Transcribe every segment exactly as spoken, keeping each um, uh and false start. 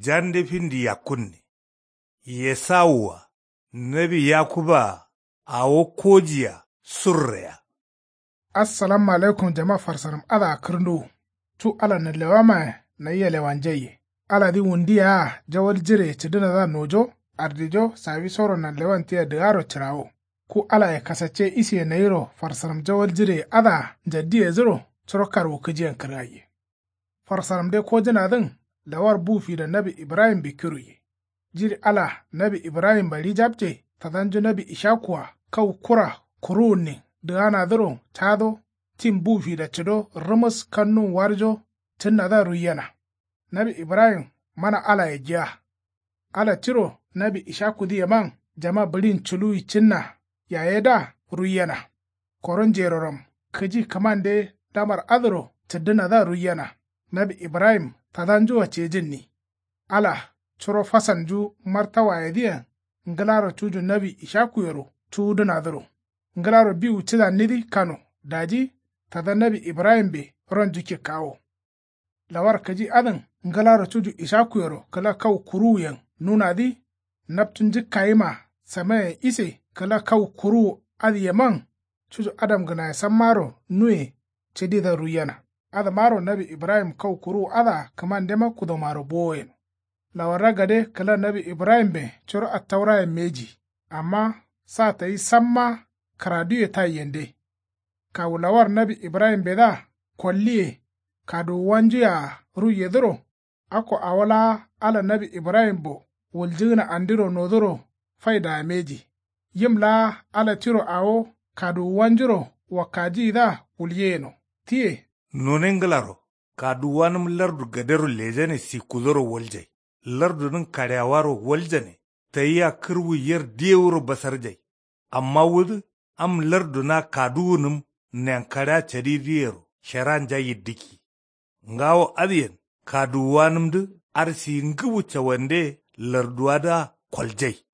Jande findi yakkunne. Esawua nawi yakuba-a awo kojia surreya. Assalamu alaikum jama farsaram adǝa kǝrnduwu. Cu ala nanlewamayen nayia lewanjaiye. Aladǝ wundu yea jawal jireye cǝdǝnadǝa nojo ardijo sawisoro nanlewan tia dǝgaro cǝrawo. Ku alaye kasacce isiye nayiro farsaram jawal jireye adǝa njaddiyedǝro curo karwu kǝjiyen kǝrgaiye. Farsaramde kojǝnadǝn lawar bu fida nawi ibrahimbe kiruye. Jiri ala nawi ibrahimba rijapce tadanju nawi ishaku-a kau kura kuruwunnin dǝganadǝro cado tin bu fida cǝdo rǝmǝs kannun warjo cǝnnadǝa ruiyena. Nawi ibrahim mana alaye giya. Ala tiro nawi ishakudǝyeman jama bǝɍin culuwi cǝnna yayedǝa ruiyena. Koro njeroram kǝji kǝmande lamar adǝro cǝddǝnadǝa ruiyena. Nawi ibrahim tadanjua cejǝnni. Ala curo fasalnju martawayedǝyen ngǝlaro cuju nawi ishakuyero cuwudǝnadǝro ngǝlaro biwu cǝdannidǝ kano daji tada nawi ibrahimbe ronju kikkawo. Lawar kǝji adǝn ngǝlaro cuju ishakuyero kǝla kau kuruwuyen nunadǝ. Naptu njǝkkayima samayen ise kǝla kau kuruwu adǝyeman cuju adamgǝnaye sammaro nuye cǝdidǝa ruiyena. Adǝmaro nawi ibrahim kau kuruwu adǝa kǝmandema kudomaro bowo yeno. Lawarra gade kǝla nawi ibrahimben curo attaurayen mbeji. Amma sa tayi samma kǝraduye taiyende. Kawu lawar nawi ibrahimbedǝa kolliye kaduwuwanjuye-a ruiyedǝro. Akko awo laa ala nawi ibrahimbo wuljǝgǝna andiro noduro faidaa mbeji. Yim laa ala tiro awo kaduwuwanjuro wakkajiyidǝa wulgeyeno. Tiye. None ngǝlaro kaduwuwanǝm lardu gadero lejane sikkudoro waljai. Lardunǝn kaɍeawaro waljane. Tayia kǝrwu yer diyewuro basarjai. Amma wudǝ am larduna kaduwunǝm nenkarea cadidǝyero sheranja yiddǝkki. Ngawo adǝyen kaduwuwanǝmdǝ arsiyi ngǝbu cawande larduwadǝa koljai.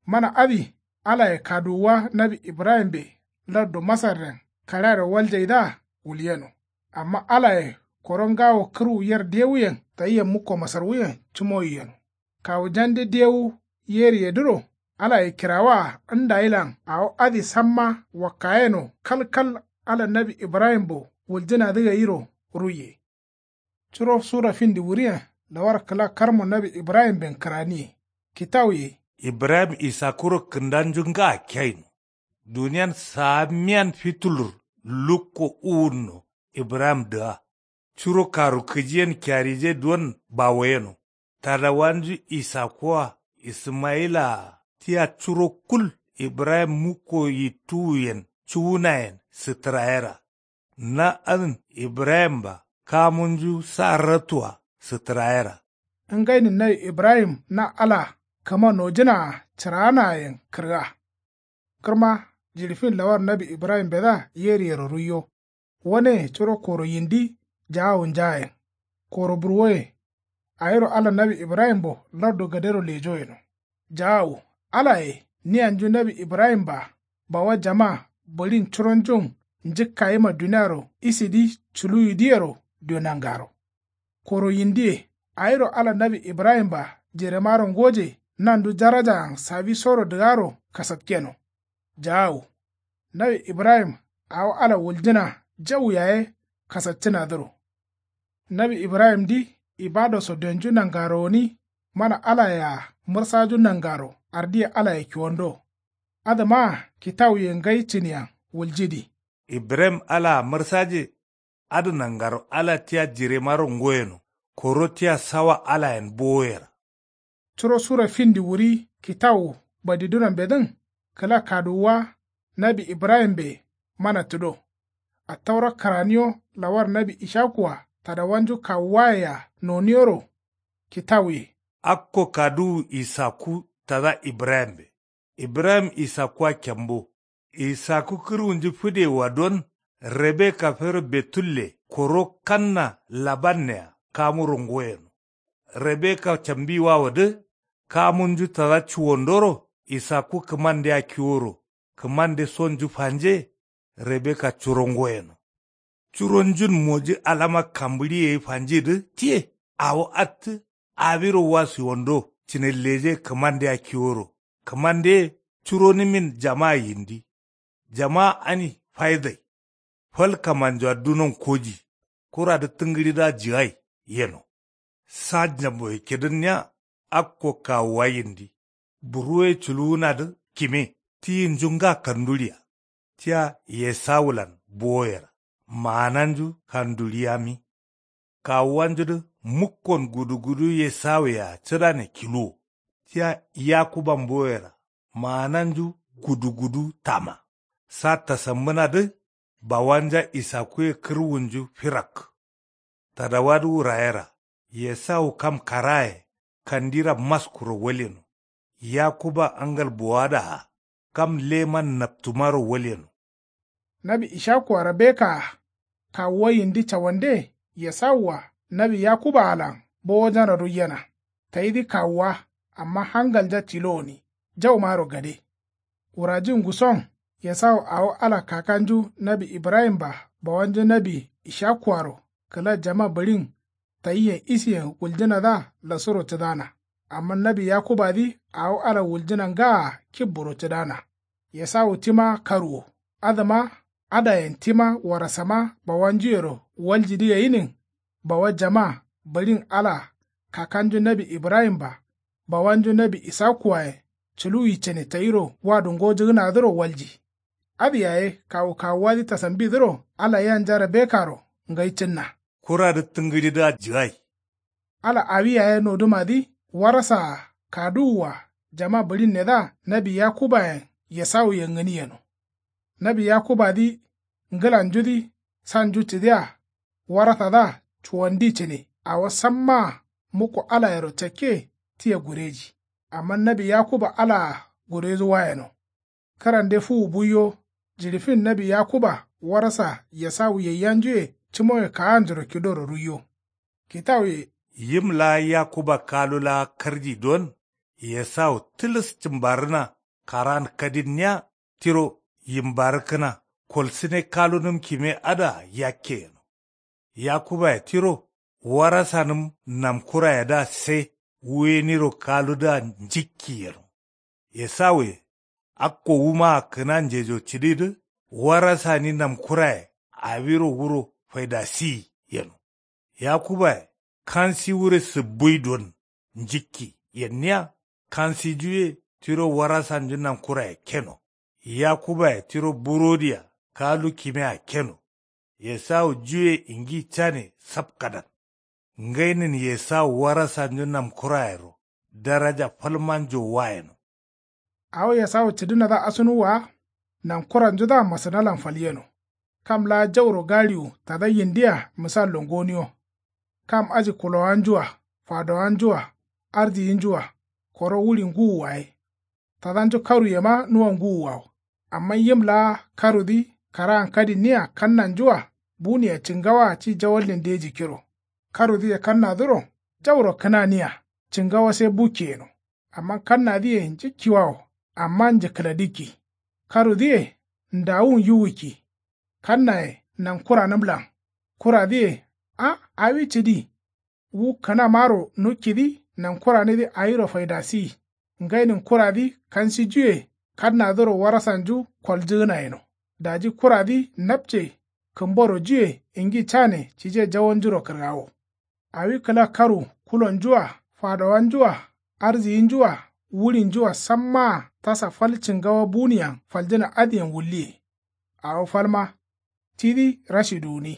Mana adǝ alaye kaduwuwa nawi ibrahimbe lardu masarren kaɍearo waljaidǝa wulyeno. Amma alaye koro ngawo kǝrwu yer dewuyen tayia mukko masarwuyen cǝmoyi yeno. Kawu jande dewu yeriyedǝro alaye kirawaa ndayilan awo adǝ samma wakkayeno kalkal ala nawi ibrahimbo wuljǝnadǝ gairo ruiye. Curo sura findi wuriyen lawar kǝla karmo nawi ibrahimben kǝraniye. Kitawuye. Ibrahim isakkuro kǝndanju nga keyino. Duniyan saa miyan fitulur lukko uwunno. Ibrahim dǝga curo karu kǝjiyen kyarije duwon bawoyeno. Tadawanju isakku-a ismayila-a tia curo kul ibrahim mukko yittuwuyen cuwunayen sǝtǝrayera. Na adǝn ibrahimba kamunju sa ratu-a sǝtǝrayera. Ngainin nawi ibrahim na ala kǝma nojǝnaa cǝraanaayen kǝrga. Kǝrma jiɍi fin lawar nawi ibrahimbedǝa yeriyero ruiyo. Waneye curo koro yindi jaawu njaayen. Koro burwoye. Awiro ala nawi ibrahimbo lardu gadero lejo yeno. Jaawu alaye niyanju nawi ibrahimba bawa jama bǝɍin curonjun njǝkkayima duniaro isidǝ culuwidǝyero dio nangaro. Koro yindiye awiro ala nawi ibrahimba jiremaro ngoje nandu jarajaan sawisoro dǝgaro kasatkeno. Jaawu nawi ibrahim awo ala wuljǝna jau yaye kasaccǝnadǝro. Nawi ibrahimdǝ ibado so donju nangaro gǝni. Mana alaye-a mǝrsaju nangaro ardiye alaye kiwando. Adǝmaa kitawuye ngai cǝniyen wuljǝdi. Ibrahim alaa mǝrsaje. Adǝ nangaro ala tia jiremaro ngoyeno. Koro tia sawa alayen bowoyera. Curo sura findi wuri kitawu badidunambedǝn kǝla kaduwuwa nawi ibrahimbe mana tǝdo. Attaura kǝraniyo lawar nawi ishaku-a tadawanju kawuwayea noniyoro. Kitawuye. Akko kaduwu isakku tada ibrahimbe. Ibrahim isakkuwa kembo. Isakku kǝrwunju fǝdewa don rebeka fero betulle koro kanna labannea kamuro ngoyeno. Rebeka cambiwawodǝ kamunju tada cuwondoro isakku kǝmandea kiworo kǝmande sonju fanje. Rebeka curo ngoyeno. Curonjun moji alama kambǝɍiye fanjidǝ tiye awo attǝ. Awiro wasuwando cinelleje kǝmande akkiworo. Kǝmande ye curonǝmin jama yindi. Jama ani faidai. Fal kamanjowa dunon koji. Kuradǝ tǝngǝɍidǝa jigai yeno. Sa njamboye kidǝnniya. Akko kawuwa yindi. Buruye culuwunadǝ kime. Tiyinju nga kanduɍiya. Tia yesawulan bowoyera. Maananju kanduɍiyami. Kawuwanjudǝ mukkon gudugudu yesawuyea cǝdane kiluwo. Tia yakuban boyera. Maananju gudugudu tama. Sa tasambǝnadǝ. Bawanja isakuye kǝrwunju firak. Tadawadǝ wurayera. Yesawu kam karaye. Kandira maskuro walyeno. Yakuba angal bowadaa. Kam leman naptumaro walyeno. Nawi ishakuwaro bekaa. Kawuwa yindi cawande yesawua nawi yakuba alan bowojana ruiyena. Tayidǝ kawuwa. Amma hangalnja tilo gǝni. Jaumaro gade. Wurajin nguson. Yesawu awo ala kakanju nawi ibrahimba bawanju nawi ishakuaro kǝla jama bǝɍin. Tayiyen isiyen wuljǝnadǝa lasuro cǝdana. Amma nawi yakubadǝ awo ala wuljǝna ngaa kibburo cǝdana. Yesawu tima karuwo. Adǝma adayen tima warasama bawanjuyero waljidǝ gayinin. Bawa jama bǝɍin ala kakanju nawi ibrahimba bawanju nawi isakuwaye. Culuwi cane tayiro wadu ngojǝgǝnadǝro walji. Adǝ yaye kawu kawuwadǝ tasambidǝro ala yanjaro bekaro ngai cǝnna. Kuradǝ tǝngǝɍidǝa jigai. Ala awi yaye nodǝmadǝ warasaa kaduwua jama bǝɍinnedǝa nawi yakubayen yesawuyen gǝni yeno. Nawi yakubadǝ ngǝlanjudǝ sanju cǝdiya. Warasadǝa cuwandi cǝne awo sammaa mukko alayero cakke. Tia gureji. Amma nawi yakuba alaa gureju wayeno. Kǝrande fuwu buiyo. Jiɍifin nawi yakuba warasa yesawu yaiyanjuye cǝmoye kaanjuro kidoro ruiyo. Kitawuye. Yim laa yakuba kalu laa karji don. Yesawu tǝlǝs cǝmbarǝna karaan kadinniya. Tiro yimbarǝkkǝna kolsǝne kalunǝm kime adǝa yakke yeno. Yakubaye tiro warasanǝm namkurayedǝa se wuyeniro kaludǝa njikki yeno. Esawuye akko wumaa kǝna njejo cǝdidǝ warasani namkuraye awiro wuro faidasiyi yeno. Yakubaye kansi wure sǝbbui don njikki yenniya. Kansijuye tiro warasanju namkuraye keno. Yakubaye tiro burodiya kalu kimea keno. Esawu juye ingi cane sapkadan. Ngainin esawu warasanju namkurayero daraja falmanjo wayeno. Awo esawu cǝdǝnadǝa asunuwwa. Nankuranjudǝa masǝnalan falyeno. Kam laa jauro galiwu tada yindiya misallo ngoniyo. Kam aji kulowanjua fadowanjua arziyinjua koro wuri nguwuwaye. Tadanju karuyema nuwa nguwuwawo. Amma yim laa karudǝ karaan kadinniya kannanjua buniya cingawaa ci jawallen de jikkiro. Karudǝye kannadǝro jauro kǝnaniya cingawa sai bukki yeno. Amma kannadǝye njikkiwawo amma njǝkkǝladǝkki. Karudǝye ndawun yiwukki. Kannaye nankuranǝmlan kuradǝye. A awi cǝdi. Wu kǝnamaro nukkidǝ nankuranidǝ awiro faidasiyi. Ngainin kuradǝ kansijuye kannadǝro warasanju koljǝgǝna yeno. Daji kuradǝ napce kǝmborojuye ingi cane cije jawonjuro kǝrgawo. Awi kǝla karu kulonjua fadowanjua arziyinjua wurinjua sammaa tasa fal cingawa buniyan faljǝna adǝyen wulliye. Awo falma tidǝ rashidu gǝni.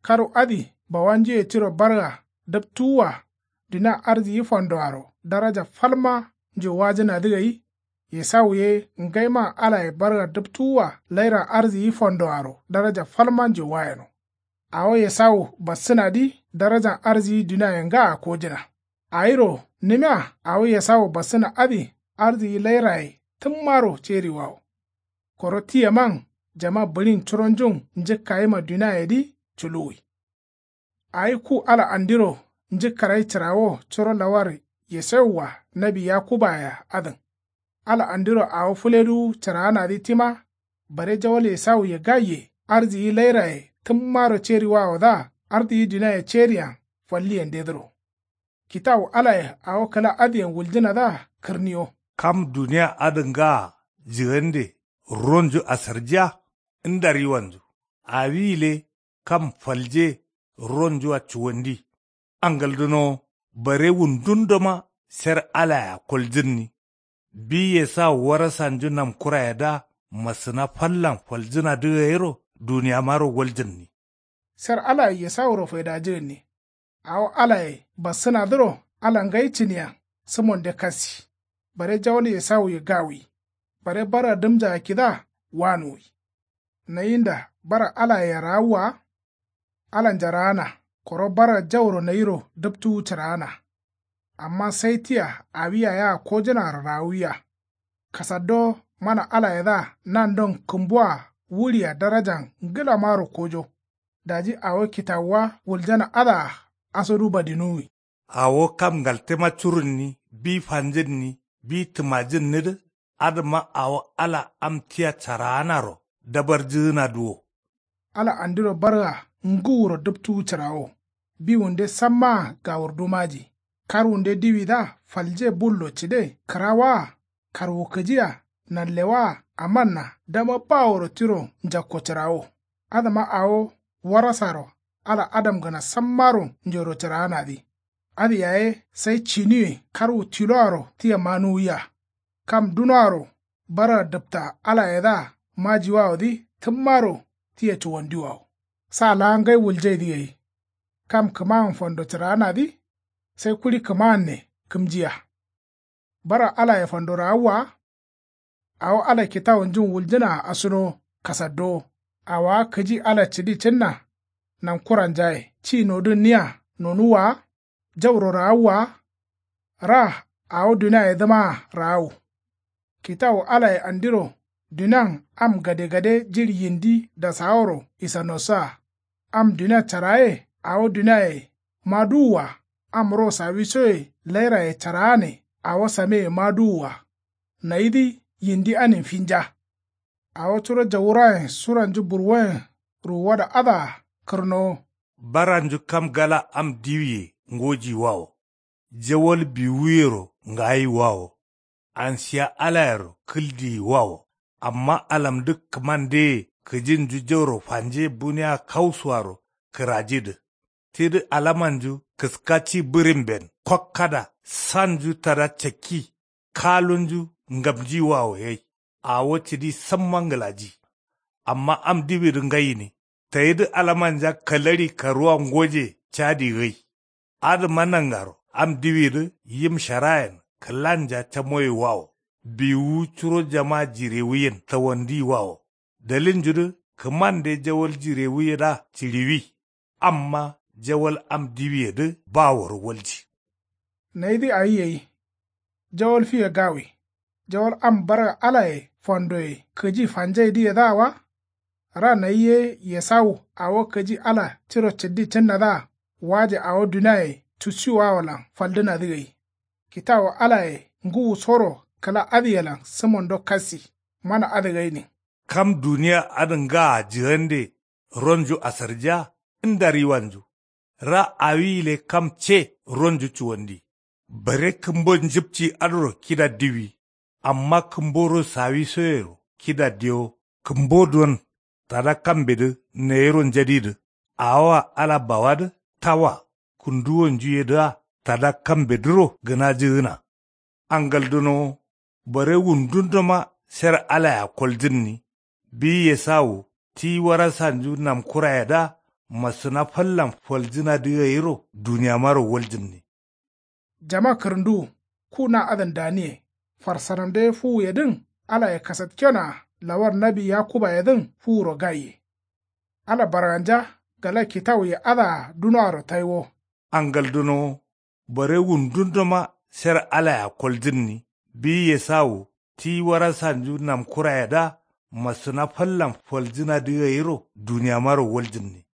Karu adǝ bawanjuye tiro barga dǝptuwua dunia arziyi fandoaro daraja falma njo wajǝnadǝ gai. Esawu ye ngaiman alaye barga dǝptuwua lairan arziyi fandoaro daraja falma njo wayeno. Awo esawu bassǝnadǝ darajan arziyi duniaye ngaa kojǝna. Awiro nǝmia awo esawu bassǝna adǝ arziyi lairaye tǝmmaro ceriwawo. Koro tiyeman jama bǝɍin curonjun njǝkkayima duniayedǝ culuwi. Awi ku ala andiro njǝkkarai cǝrawo curo lawar yesawua nawi yakubaye adǝn. Ala andiro awo fǝleduwu cǝraanadǝ tima. Bare jawal esawuye gaiye arziyi lairaye tǝmmaro ceriwawodǝa arziyi duniaye ceriyan falliyendedǝro. Kitawu alaye awo kǝla adǝyen wuljǝnadǝa kǝrniyo. Kam duniya adǝ ngaa jǝgande ronju asarjiya. Ndariwanju awi gǝle kam falje ronjua cuwandi. Angaldǝnowo bare wundundoma sher alayea koljǝnni. Bi yesawu warasanju namkurayedǝa masǝna fallan faljǝnadǝ gairo duniyamaro waljǝnni. Sher alaye yesawuro faidajǝgǝnni. Awo alaye bassǝnadǝro ala ngai cǝniyen sǝmonde kassi. Bare jawal yesawuye gawi. Bare bara dǝmjaa kidǝa wanuwi. Nayinda bara alayea raawwa. Alanja raana koro bara jauro nayiro dǝptuwu cǝraana. Amma sai tia awi yayea kojǝnaro raawuwiya. Kasaddo mana alayedǝa nandon kǝmboa wuɍia darajan ngǝlamaro kojo. Daji awo kitawuwa wuljana adǝa asodu badinuwi. Awo kam ngaltema curunni bi fanjǝnni bi tǝmajǝnnidǝ. Adǝma awo ala am tia caraanaro dabarjǝgǝnadǝ wo. Ala andiro barga ngǝwuro dǝptuwu cǝrawo. Biwunde sammaa gawurdumaji. Karwunde diwidǝa falje bullo cǝde kǝrawaa. Karwu kǝjiya nanlewaa amanna dama baworo tiro njakko cǝrawo. Adǝma awo warasaro ala adamgǝna sammaro njoro cǝraanadǝ. Adǝ yaye sai ciniwe karwu tiloaro tia manuwiya. Kam dunoaro bara dǝpta alayedǝa majiwawodǝ tǝmmaro tia cuwandiwawo. Sa laa ngai wuljaidǝ gai. Kam kǝmayen fando cǝraanadǝ. Sai kuɍi kǝmaanne kǝmjiya. Bara alaye fando raawwa. Awo ala kitawunjun wuljǝnaa asunowo kasaddowo. Awowa kǝji ala cǝdi cǝnna. Nankuranjaye ci nodǝnniya nonuwwa wa. Jauro raawwa wa. Ra awo duniayedǝmaa raawu. Kitawu alaye andiro dunian am gadegade jiɍi yindi dasaworo isanossa. Am dunia caraye awo duniaye maduwwa. Am ro sawisoye lairaye caraane awo sameye maduwwa. Nayidǝ yindi anin finja. Awo curo jawurayen suranju burwoyen ruwuwada adǝa kǝrnowo. Baranju kam gala am diwiye ngojiyiwawo. Jawal biwuyero ngayiwawo. Ansiya alayero kǝldiyiwawo. Amma alamdǝ kǝmandeye kǝjinju jauro fanje buniya kausuwaro kǝrajidǝ. Tidǝ alamanju kǝska ci bǝrimben kokkada sanju tada cakki. Kalunju ngamjiwawo gai. Awo cǝdi samma ngǝlaji. Amma am diwidǝ ngaine. Tayidǝ alamanja kalaɍi karuwa ngoje cadi gai. Adǝma nangaro am diwidǝ yim sharayen kǝlanja camoyewawo. Biwuwu curo jama jirewuyen tawandiwawo. Dalilnjudǝ kǝmande jawal jirewuyedǝa cǝɍiwi. Amma jawal am diwiyedǝ baworo walji. Nayidǝ awi gai. Jawal fiye gawi. Jawal am barga alaye fandoye kǝji fanjaidǝyedǝa wa. Ra nayi ye yesawu awo kǝji ala tiro cǝddi cǝnnadǝa waje awo duniaye cusiwawolan faldǝnadǝ gai. Kitawu alaye ngǝwusoro kǝla adǝyelan sǝmondo kassi. Mana adǝ gainin. Kam duniya adǝ ngaa jǝgande ronju asarjiya. Ndariwanju ra awi gǝle kam ce ronju cuwandi. Bare kǝmbo njǝpci adǝro kida diwi. Amma kǝmboro sawisoyero kida dewo. Kǝmbo don tada kambedǝ nayiro njadidǝ. Awoa ala bawadǝ tawa kǝnduwonjuyedǝa tada kambedǝro gǝnajǝgǝna. Angaldǝnowo bare wundundoma sher alayea koljǝnni. Bi yesawu ti warasanju namkurayedǝa masǝna fallan faljǝnadǝ gairo duniyamaro waljǝnni. Jama kǝrǝnduwu ku na adǝn daniye. Farsanamde fuwuyedǝn alaye kasatkenoa lawar nawi yakubayedǝn fuwuro gaiye. Ala barganja gala kitawuye adǝa dunoaro taiwo. Angaldǝnowo bare wundundoma sher alayea koljǝnni. Bi yesawu ti warasanju namkurayedǝa masǝna fallan faljǝnadǝ gairo duniyamaro waljǝnni.